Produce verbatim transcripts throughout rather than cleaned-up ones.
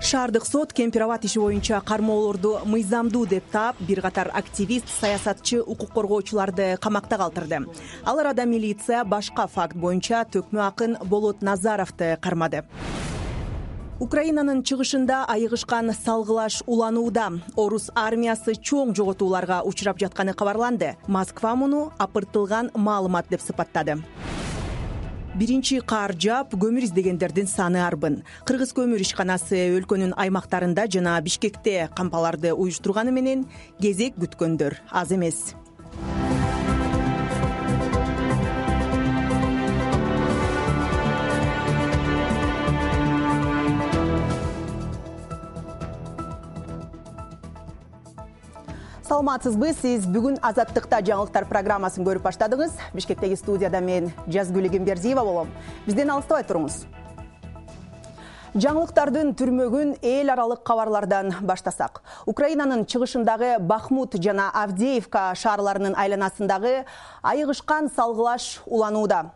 Шаардык сот Кемпирабад иши боюнча кармоолорду мыйзамдуу деп таап, бир катар активист, саясатчы, укук коргоочуларды камакта калтырды. Ал арада милиция башка факт боюнча төкмө акын Болот Назаровду кармады. Украинанын чыгышында айыгышкан салгылаш уланууда. Орус армиясы чоң жоготууларга учурап жатканы кабарланды. Москва муну апыртылган маалымат деп сыпаттады. Биринчи кар жаап, көмүр издегендердин саны арбын. Кыргыз көмүр ишканасы өлкөнүн аймактарында жана Бишкекте кампаларды уюштурганы менен кезек күткөндөр аз эмес. Саламатсызбы, сиз бүгүн Азаттыкта жаңылыктар программасын көрүп баштадыңыз. Бишкектеги студияда мен Жазгүл Эгембердиева болом. Бизден алыстабай туруңуз. Жаңылыктардын түрмөгүн эл аралык кабарлардан баштасак. Украинанын чыгышындагы Бахмут жана Авдеевка шаарларынын айланасындагы айыгышкан салгылаш уланууда.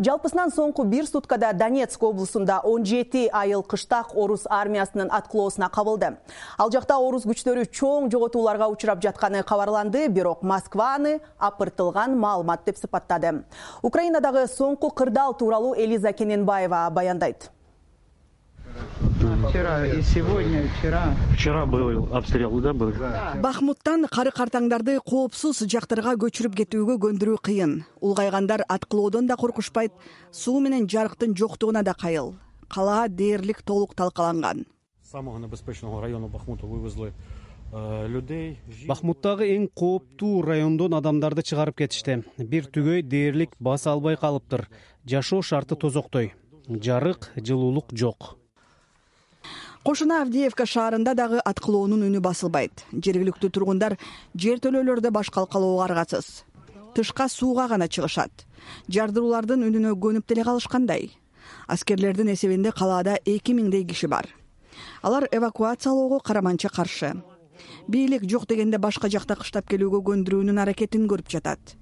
Жалпысынан соңку бир суткада Донецк облусунда он жети айыл кыштак орус армиясынын аткылоосуна кабылды. Ал жакта орус күчтөрү чоң жоготууларга учурап жатканы кабарланды, бирок Москва аны апыртылган маалымат деп сыпаттады. Украинадагы соңку кырдаал тууралуу Элиза Кененбаева баяндайт. Вчера и сегодня, вчера. Вчера был обстрел, да, был? Бахмуттан кары картаңдарды коопсуз жактарга көчүрүп кетүүгө көндүрүү кыйын. Улгайгандар аткылоодон да коркушпайт, суу менен жарыктын жоктугуна да кайыл. Калаа дээрлик толук талкаланган. С самого небезпечного района Бахмута вывезли людей. Бахмуттагы эң кооптуу райондон адамдарды чыгарып кетишти. Бир түгөй дээрлик баса албай калыптыр. Жашоо шарты тозоктой. Жарык, жылуулук жок. Кошуна Авдеевка шаарында дагы аткылоонун үнү басылбайт. Жергиликтүү тургундар жертөлөлөрдө баш калкалоого аргасыз. Тышка сууга гана чыгышат. Жардыруулардын үнүнө көнүп деле калышкандай. Аскерлердин эсебинде калаада эки миңдей киши бар. Алар эвакуациялоого караманча каршы. Бийлик жок дегенде башка жакта кыштап келүүгө көндүрүүнүн аракетин көрүп жатат.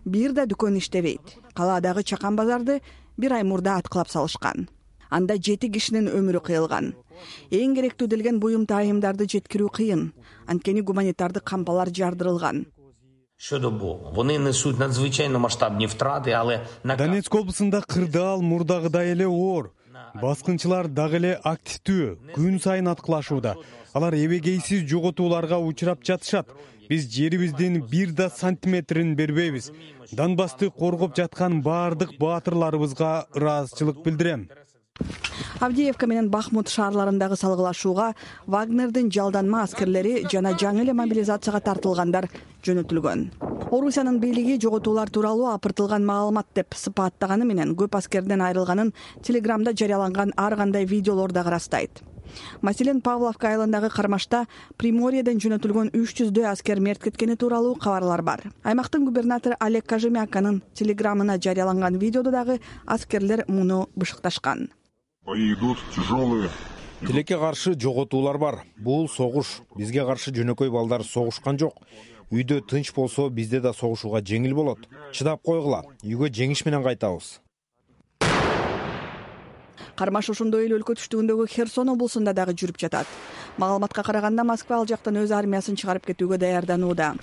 Бир да дүкөн иштебейт. Калаадагы чакан базарды бир ай мурда аткылап салышкан. Анда жети кишинин өмүрү кыйылган. Эң керектүү делген буюм тайымдарды жеткирүү кыйын. Анткени гуманитардык кампалар жардырылган. Щодо богу, вони несуть надзвичайно масштабні втрати, але Донецк облусунда кырдаал мурдагыдай эле оор. Баскынчылар дагы эле активдүү, күн сайын аткылашууда. Алар эбегейсиз жоготууларга учурап жатышат. Биз жерибиздин бир да сантиметрин бербейбиз. Донбассты коргоп жаткан баардык баатырларыбызга ыраазычылык билдирем. Авдеевка менен Бахмут шаарларындагы салгылашууга Вагнердин жалданма аскерлери жана жаңы эле мобилизацияга тартылгандар жөнөтүлгөн. Орусиянын бийлиги жоготуулар тууралуу апыртылган маалымат деп сыпаттаганы менен көп аскерден айрылганын Телеграмда жарыяланган ар кандай видеолор да ырастайт. Маселен, Павловка айылындагы кармашта Приморьеден жөнөтүлгөн үч жүздөй аскер мерт кеткени тууралуу кабарлар бар. Аймактын губернатору Олег Кожемяканын Телеграмына жарыяланган видеодо дагы аскерлер муну бышыкташкан. Идут тяжелые. Тилекке каршы жоготуулар бар. Бул согуш. Бизге каршы жөнөкөй балдар согушкан жок. Үйдө тынч болсо, бизде да согушууга жеңил болот. Чыдап койгула. Үйгө жеңиш менен кайтабыз. Кармаш ошондой эле өлкө түштүгүндөгү Херсон облусунда дагы жүрүп жатат. Маалыматка караганда Москва ал жактан өз армиясын чыгарып кетүүгө даярданууда.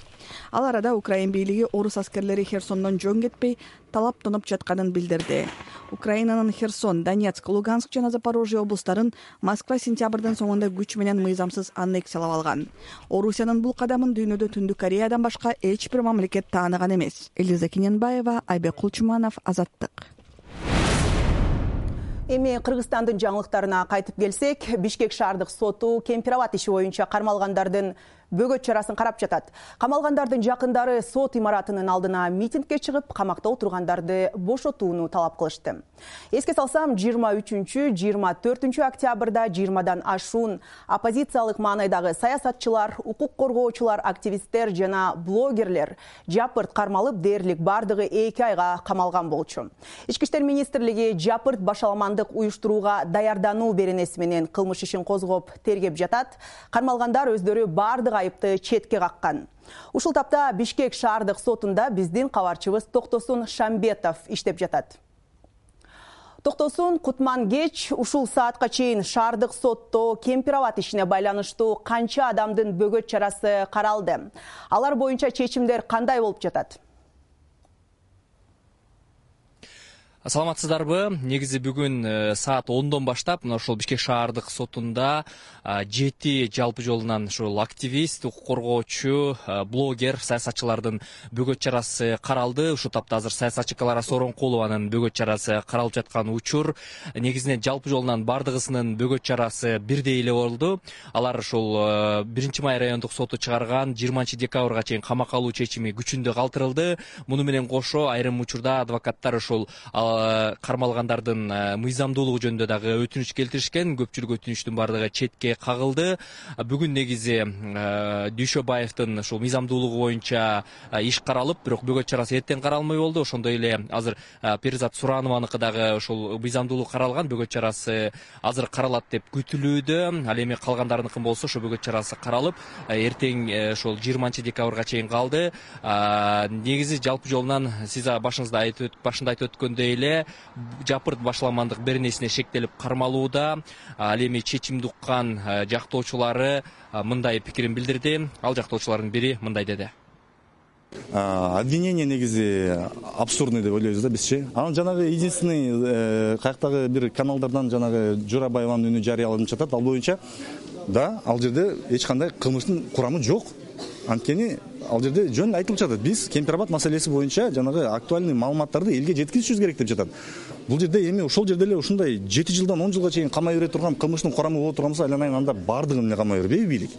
Ал арада Украин бийлиги орус аскерлери Херсондон жөн кетпей талаптанып жатканын билдирди. Украинанын Херсон, Донецк, Луганск жана Запорожье облустарын Москва сентябрдын соңунда күч менен мыйзамсыз аннексиялап алган. Орусиянын бул кадамын дүйнөдө Түндүк Кореядан башка эч бир мамлекет тааныган эмес. Элиза Кененбаева, Айбек Кулчуманов, Азаттык. Эми Кыргызстандын жаңылыктарына кайтып келсек, Бишкек шаардык соту Кемпирабад иши боюнча кармалгандардын бөгөт чарасын карап жатат. Камалгандардын жакындары сот имаратынын алдына митингге чыгып, камакта отургандарды бошотууну талап кылышты. Эске салсам, жыйырма үчүнчү жыйырма төртүнчү октябрда жыйырмадан ашуун оппозициялык маанайдагы саясатчылар, укук коргоочулар, активисттер жана блогерлер жапырт кармалып, дээрлик бардыгы эки айга камалган болчу. Ички иштер министрлиги жапырт башаламандык уюштурууга даярдануу беренеси менен кылмыш ишин козгоп тергеп жатат. Кармалгандар өздөрү бардык айыпты четке каккан. Ушул тапта Бишкек шаардык сотунда биздин кабарчыбыз Токтосун Шамбетов иштеп жатат. Токтосун Кутман кеч ушул саатка чейин шаардык сотто Кемпирабад ишине байланыштуу канча адамдын бөгөт чарасы каралды? Алар боюнча чечимдер кандай болуп жатат? Саламатсыздарбы? Негизи бүгүн саат ондон баштап мына ошол Бишкек шаардык сотунда жети жалпы жолунан ушул активист, укук коргоочу, блогер, саясатчылардын бөгөт чарасы каралды. Ушул тапта азыр саясатчы Клара Сооронкулованын бөгөт чарасы каралып жаткан учур. Негизинен жалпы жолунан бардыгысынын бөгөт чарасы бирдей эле болду. Алар ушул биринчи май райондук соту чыгарган жыйырманчы декабрга чейин камакка алуу чечими күчүндө калтырылды. Муну менен кошо айрым учурда адвокаттар ушул кармалгандардын мыйзамдуулугу жөнүндө дагы өтүнүч келтиришкен. Көпчүлүк өтүнүчтүн бардыгы четке кагылды. Бүгүн негизи Дүйшөбаевдин ушул мыйзамдуулугу боюнча иш каралып, бирок бөгөт чарасы эртең каралмай болду. Ошондой эле азыр Перизат Суранованыкы дагы ушул мыйзамдуулук каралган, бөгөт чарасы азыр каралат деп күтүлүүдө. Ал эми калгандарыныкы болсо ошо бөгөт чарасы каралып, эртең ошол жыйырманчы декабрга чейин калды. Негизи жалпы жолунан сиз башыңызда айтып башында айтып өткөндөй эле жапырт башаламандык беренесине шектелип кармалууда. Ал эми чечимди уккан жактоочулары мындай пикирин билдирди. Ал жактоочулардын бири мындай деди. Обвинение негизи абсурдный деп ойлойбуз да бизчи. Анан жанагы единственный каяктагы бир каналдардан жанагы Жорабаеванын үнү жарыяланып жатат. Ал боюнча да ал жерде эч кандай кылмыштын курамы жок. Анткени ал жерде жөн айтылып жатат. Биз Кемпирабад маселеси боюнча жанагы актуальный маалыматтарды элге жеткизишибиз керек деп жатат. Бул жерде эми ошол жерде эле ушундай жети жылдан он жылга чейин камай бере турган кылмыштын курамы боло турганса, айланайын анда бардыгын эле камай бербейби бийлик?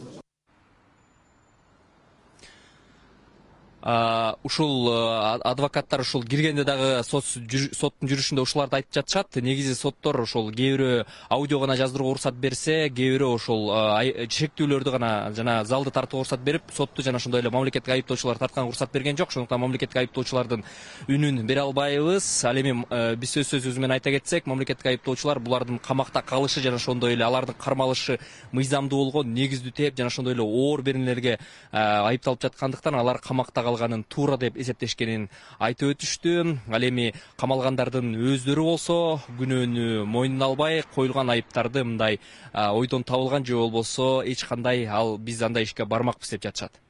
Ушул адвокаттар ушул киргенде дагы соттун жүрүшүндө ушуларды айтып жатышат. Негизи соттор ушул кээ бирөө аудио гана жаздырууга уруксат берсе, кээ бирөө ушул шектүүлөрдү гана жана залды тартууга уруксат берип, сотту жана ошондой эле мамлекеттик айыптоочулар тартканга уруксат берген жок. Ошондуктан мамлекеттик айыптоочулардын үнүн бере албайбыз. Ал эми биз өз сөзүбүз менен айта кетсек, мамлекеттик айыптоочулар булардын камакта калышы жана ошондой эле алардын кармалышы мыйзамдуулугу негиздүү тээп жана ошондой эле оор беренелерге айыпталып жаткандыктан алар камакта калганын туура деп эсептешкенин айтып өтүштү. Ал эми камалгандардын өздөрү болсо күнөөнү мойнуна албай, коюлган айыптарды мындай ойдон табылган же болбосо эч кандай ал биз андай ишке бармакпыз деп жатышат.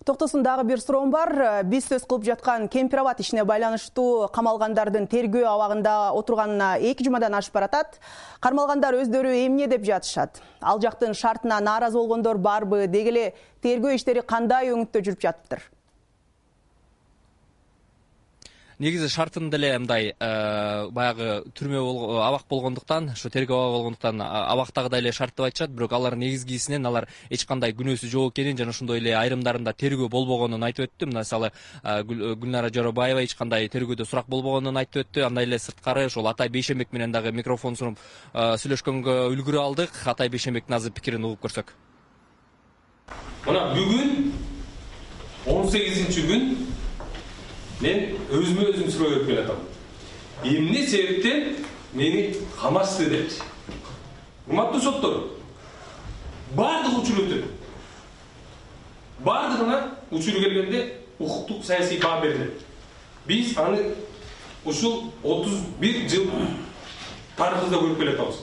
Токтосун дагы бир суроом бар. Биз сөз кылып жаткан Кемпирабад ишине байланыштуу камалгандардын тергөө абагында отурганына эки жумадан ашып баратат. Кармалгандар өздөрү эмне деп жатышат? Ал жактын шартына нааразы болгондор барбы? Деги эле тергөө иштери кандай өңүттө жүрүп жатыптыр? Негизи шартында эле мындай баягы түрмө абак болгондуктан, ошо тергөө абак болгондуктан абактагыдай эле шарт деп айтышат, бирок алар негизгисинен алар эч кандай күнөөсү жок экенин жана ошондой эле айрымдарында тергөө болбогонун айтып өттү. Мисалы Гүлнара Жорабаева эч кандай тергөөдө сурак болбогонун айтып өттү. Андай эле сырткары ошол Атай Бейшенбек менен дагы микрофон сунуп сүйлөшкөнгө үлгүрө алдык. Атай Бейшенбектин азыр пикирин угуп көрсөк. Мына бүгүн он сегизинчи күн мен өзүмө өзүм суроо берип келатам. Эмне себептен мени камашты деп. Урматтуу соттор, бардык учур өтөт. Бардыгына учур келгенде укуктук саясий баа берилет. Биз аны ушул отуз бир жыл тарыхыбызда көрүп келатабыз.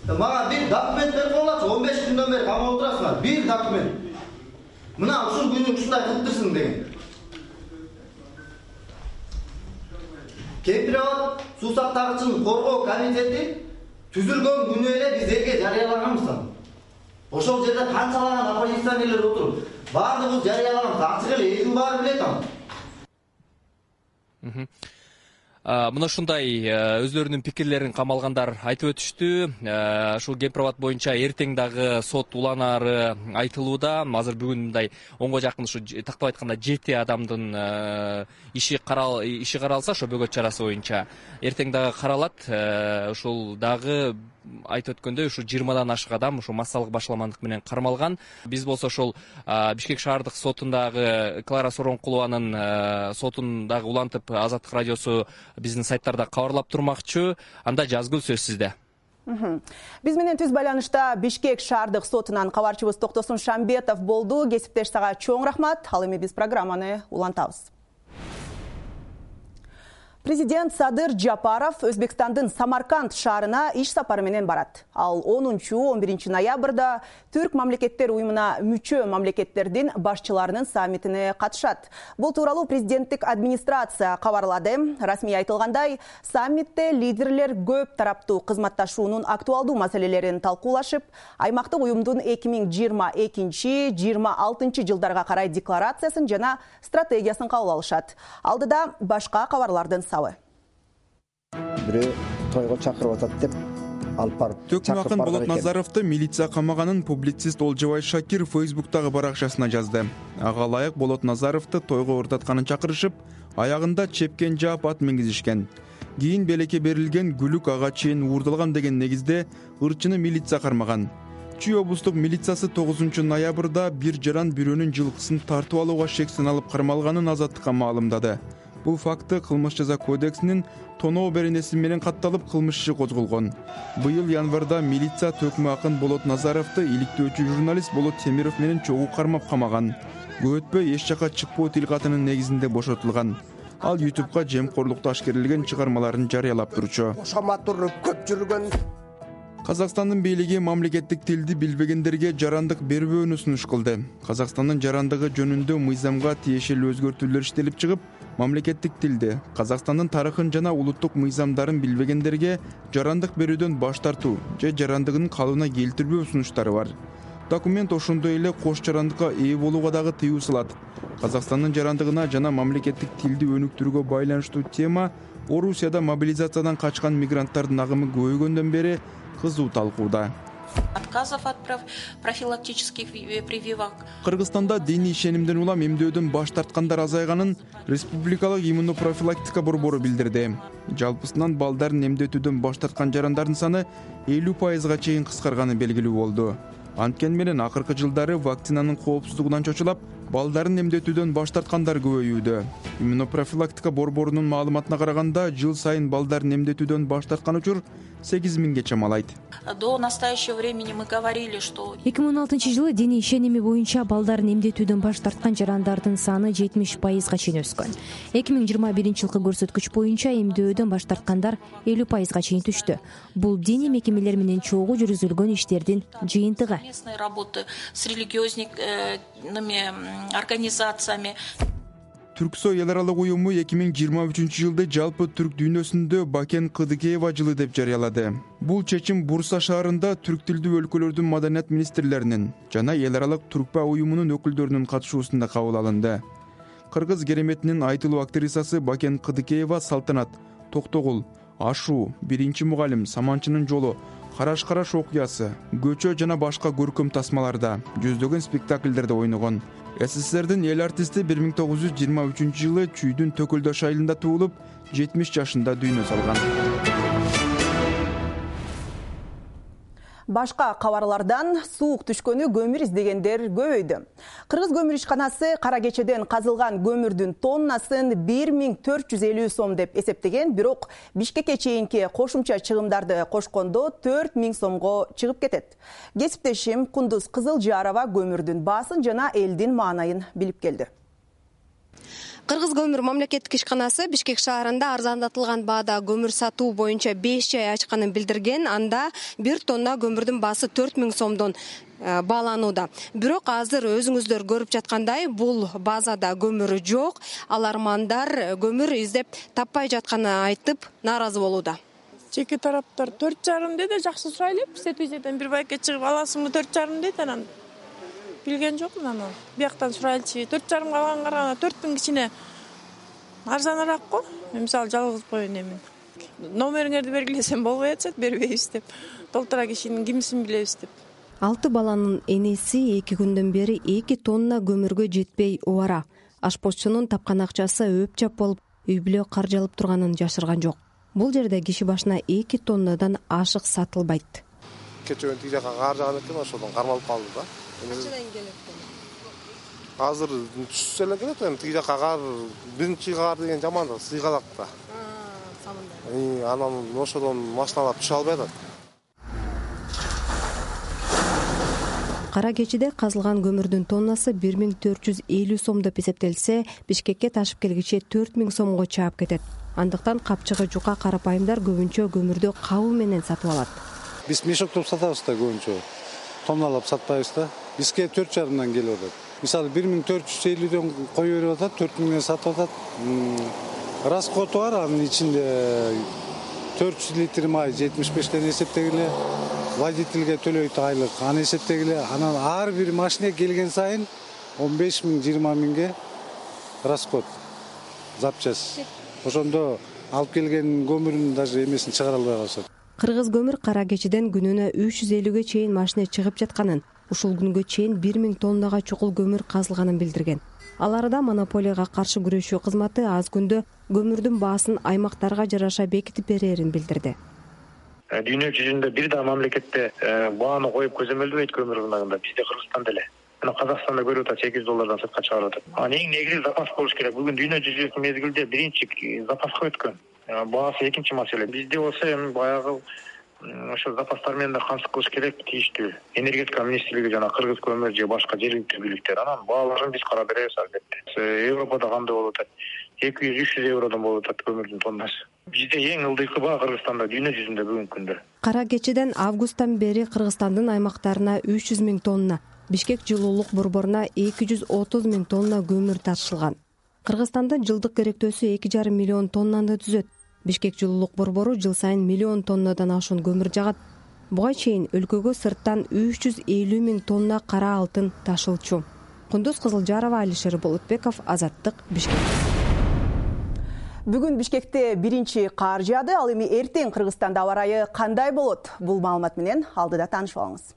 Мага бир документ берип коюлачы, он беш күндөн бери камап отурасыңар. Бир документ. Мына ушул күнү ушундай кылыптырсың деген. Кемпирабад суу сактагычын коргоо комитети түзүлгөн күнү эле биз элге жарыялаганбыз. Ошол жерде канчалаган оппозиционерлер отуруп, баардыгыбыз жарыялаганбыз. Ачык эле элдин баары билет аны. Мына ушундай өздөрүнүн пикирлерин камалгандар айтып өтүштү. Ушул Кемпирабад боюнча эртең дагы сот уланары айтылууда. Азыр бүгүн мындай онго жакын ушу тактап айтканда жети адамдын иши карал иши каралса, ошо бөгөт чарасы боюнча эртең дагы каралат. Ушул дагы айтып өткөндөй ушу жыйырмадан ашык адам ушу массалык башаламандык менен кармалган. Биз болсо ошол Бишкек шаардык сотундагы Клара Сооронкулованын сотун дагы улантып, Азаттык радиосу биздин сайттарда кабарлап турмакчы. Анда жазгыл сөз сизде. Биз менен түз байланышта Бишкек шаардык сотунан кабарчыбыз Токтосун Шамбетов болду. Кесиптеш сага чоң рахмат. Ал эми биз программаны улантабыз. Президент Садыр Жапаров Өзбекстандын Самарканд шаарына иш сапары менен барат. Ал онунчу он биринчи ноябрда Түрк мамлекеттер уюмуна мүчө мамлекеттердин башчыларынын саммитине катышат. Бул тууралуу президенттик администрация кабарлады. Расмий айтылгандай, саммитте лидерлер көп тараптуу кызматташуунун актуалдуу маселелерин талкуулашып, аймактык уюмдун эки миң жыйырма экинчи — жыйырма алтынчы жылдарга карай декларациясын жана стратегиясын кабыл алышат. Алдыда башка кабарлардын сабы. Бирөө тойго чакырып атат деп алып барып. Төкмө акын Болот Назаровду милиция камаганын публицист Олжобай Шакир Фейсбуктагы баракчасына жазды. Ага ылайык Болот Назаровду тойго ырдатканын чакырышып, аягында чепкен жаап ат мингизишкен. Кийин белекке берилген гүлүк ага чейин уурдалган деген негизде ырчыны милиция кармаган. Чүй облустук милициясы тогузунчу ноябрда бир жаран бирөөнүн жылкысын тартып алууга шектен алып кармалганын Азаттыкка маалымдады. Бул факты кылмыш жаза кодексинин тоноо беренеси менен катталып кылмыш иши козголгон. Быйыл январда милиция Төкмө акын Болот Назаровду иликтөөчү журналист Болот Темиров менен чогуу кармап камаган. Көп өтпөй эч жака чыкпоо тил катынын негизинде бошотулган. Ал ютубка жемкорлукта ашкерилген чыгармаларын жарыялап турчу. Ошаматур көп жүргөн. Казакстандын бийлиги мамлекеттик тилди билбегендерге жарандык бербөөнү сунуш кылды. Казакстандын жарандыгы жөнүндө мыйзамга тиешелүү өзгөртүүлөр иштелип чыгып, мамлекеттик тилди, Казакстандын тарыхын жана улуттук мыйзамдарын билбегендерге жарандык берүүдөн баш тартуу же жарандыгын калыбына келтирбөө сунуштары бар. Документ ошондой эле кош жарандыкка ээ болууга дагы тыюу салат. Казакстандын жарандыгына жана мамлекеттик тилди өнүктүрүүгө байланыштуу тема Орусияда мобилизациядан качкан мигранттардын агымы көбөйгөндөн бери кызуу талкууда. Отказов от профилактических прививок. Кыргызстанда диний ишенимден улам эмдөөдөн баш тарткандар азайганын Республикалык иммунопрофилактика борбору билдирди. Жалпысынан балдарын эмдетүүдөн баш тарткан жарандардын саны элүү пайызга чейин кыскарганы белгилүү болду. Анткени менен акыркы жылдары вакцинанын коопсуздугунан чочулап, балдарын эмдетүүдөн баш тарткандар көбөйүүдө. Иммунопрофилактика борборунун маалыматына караганда, жыл сайын балдарын эмдетүүдөн баш тарткан учур сегиз миңге чамалайт. До настоящего времени мы говорили, что эки миң он алтынчы жылы диний ишеними боюнча балдарын эмдетүүдөн баш тарткан жарандардын саны жетимиш пайызга чейин өскөн. эки миң жыйырма биринчи жылкы көрсөткүч боюнча эмдөөдөн баш тарткандар элүү пайызга чейин түштү. Бул диний мекемелер менен чогуу жүргүзүлгөн иштердин жыйынтыгы. Местные работы с религиозными организациями. Түрксой эл аралык уюму эки миң жыйырма үчүнчү жылды жалпы түрк дүйнөсүндө Бакен Кыдыкеева жылы деп жарыялады. Бул чечим Бурса шаарында түрк тилдүү өлкөлөрдүн маданият министрлеринин жана эл аралык Туркпа уюмунун өкүлдөрүнүн катышуусунда кабыл алынды. Кыргыз кереметинин айтылуу актрисасы Бакен Кыдыкеева Салтанат, Токтогул, Ашуу, Биринчи мугалим, Саманчынын жолу, Караш-караш окуясы, Көчө жана башка көркөм тасмаларда, жүздөгөн спектакльдерде ойногон. СССРдин эл артисти бир миң тогуз жүз жыйырма үчүнчү жылы Чүйдүн Төкөлдөш айылында туулуп, жетимиш жашында дүйнө салган. Башка кабарлардан суук түшкөнү көмүр издегендер көбөйдү. Кыргыз көмүр ишканасы кара кечеден казылган көмүрдүн тоннасын бир миң төрт жүз элүү сом деп эсептеген, бирок Бишкекке чейинки кошумча чыгымдарды кошкондо төрт миң сомго чыгып кетет. Кесиптешим Кундуз Кызылжарова көмүрдүн баасын жана элдин маанайын билип келди. Кыргыз көмүр мамлекеттик ишканасы Бишкек шаарында арзандатылган баада көмүр сатуу боюнча беш жай ачканын билдирген. Анда бир тонна көмүрдүн баасы төрт миң сомдон бааланууда. Бирок азыр өзүңүздөр көрүп жаткандай, бул базада көмүр жок. Алармандар көмүр издеп таппай жатканын айтып, нааразы болууда. Жеке тараптар төрт жарым деди, жакшы сурайлы. Сетүүчүдөн бир байке чыгып аласыңбы төрт жарым дейт, анан билген жокмун аны. Бияктан сурайлчы. төрт жарым калган караганда төрт миң кичине арзаныраак го. Мен мисалы жалгыз коюн эмин. Номериңерди бергилесем болбой атат, бербейбиз деп. Толтура кишинин кимсин билебиз деп. Алты баланын энеси эки күндөн бери эки тонна көмүргө жетпей убара. Ашпозчунун тапкан акчасы өп-чап болуп, үй бүлө каржалып турганын жашырган жок. Бул жерде киши башына эки тоннадан ашык сатылбайт. Кечээ тиги жака каржаган экен, ошодон кармалып калды да. Качадан келет? Азыр түшсө эле келет, эми тиги жака кар, биринчи кар деген жаман да, сыйгалак да. Самында. Анан ошодон машиналар түшө албай атат. Кара кечиде казылган көмүрдүн тоннасы бир миң төрт жүз элүү сом деп эсептелсе, Бишкекке ташып келгиче төрт миң сомго чаап кетет. андыктан капчыгы жука карапайымдар көбүнчө көмүрдү кабыл менен сатып алат. Биз мешоктоп сатабыз да көбүнчө. Тонналап сатпайбыз да. Бизге төрт жарымдан келип атат. Мисалы бир миң төрт жүз элүүдөн коюп берип атат, төрт миңден сатып атат. Расходу бар, анын ичинде төрт жүз литр май жетимиш бештен эсептегиле, водительге төлөйт айлык, аны эсептегиле. Анан ар бир машина келген сайын он беш миң жыйырма миңге расход запчасть. Ошондо алып келген көмүрүн даже эмесин чыгара албай калышат. Кыргыз көмүр кара кечиден күнүнө үч жүз элүүгө чейин машина чыгып жатканын, ушул күнгө чейин бир миң тоннага чукул көмүр казылганын билдирген. Ал арада монополияга каршы күрөшүү кызматы аз күндө көмүрдүн баасын аймактарга жараша бекитип берерин билдирди. Дүйнө жүзүндө бир да мамлекетте бааны коюп көзөмөлдөбөйт көмүр рыногунда, бизде Кыргызстан деле. Мына Казакстанда көрүп атат, сегиз доллардан сыртка чыгарып атат. Анын эң негизи запас болуш керек. Бүгүн дүйнө жүзүндө мезгилде биринчи запаска өткөн. Баасы экинчи маселе. Бизде болсо эми баягы ошо запастар менен да камсыз кылыш керек, тийиштүү. Энергетика министрлиги жана Кыргыз көмүр же башка жергиликтүү бийликтер анан бааларын биз карап беребиз албетте. Европада кандай болуп атат? эки жүз үч жүз евродон болуп атат көмүрдүн тоннасы. Бизде эң ылдыйкы баа Кыргызстанда дүйнө жүзүндө бүгүнкү күндө. Кара кечиден августтан бери Кыргызстандын аймактарына үч жүз миң тонна, Бишкек жылуулук борборуна эки жүз отуз миң тонна көмүр ташылган. Кыргызстандын жылдык керектөөсү эки жарым миллион тоннаны түзөт. Бишкек жылуулук борбору жыл сайын миллион тоннадан ашуун көмүр жагат. Буга чейин өлкөгө сырттан үч жүз элүү миң тонна кара алтын ташылчу. Кундуз Кызылжарова, Алишер Болотбеков, Азаттык, Бишкек. Бүгүн Бишкекте биринчи кар жаады, ал эми эртең Кыргызстанда аба ырайы кандай болот? Бул маалымат менен алдыда таанышып алыңыз.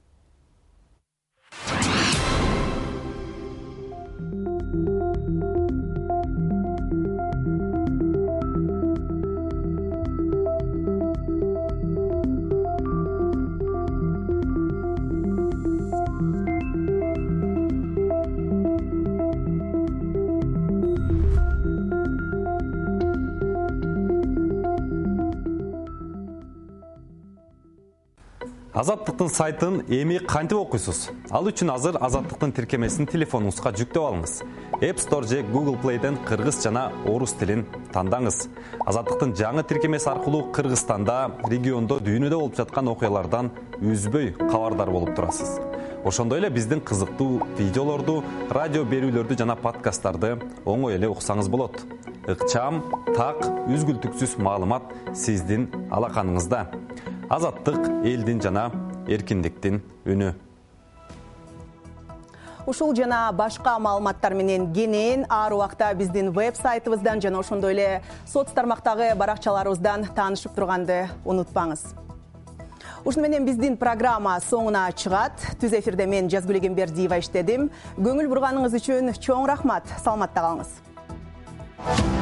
Азаттыктын сайтын эми кантип окуйсуз? Ал үчүн азыр Азаттыктын тиркемесин телефонуңузга жүктөп алыңыз. App Store же Google Play'ден кыргыз жана орус тилин тандаңыз. Азаттыктын жаңы тиркемеси аркылуу Кыргызстанда, региондо, дүйнөдө болуп жаткан окуялардан үзбөй кабардар болуп турасыз. Ошондой эле биздин кызыктуу видеолорду, радио берүүлөрдү жана подкасттарды оңой эле уксаңыз болот. Ыкчам, так, үзгүлтүксүз маалымат сиздин алаканыңызда. Азаттык элдин жана эркиндиктин үнү. Ушул жана башка маалыматтар менен кенен ар убакта биздин веб-сайтыбыздан жана ошондой эле соц тармактагы баракчаларыбыздан таанышып турганды унутпаңыз. Ушуну менен биздин программа соңуна чыгат. Түз эфирде мен Жазгүл Эгембердиева иштедим. Көңүл бурганыңыз үчүн чоң рахмат. Саламатта калыңыз.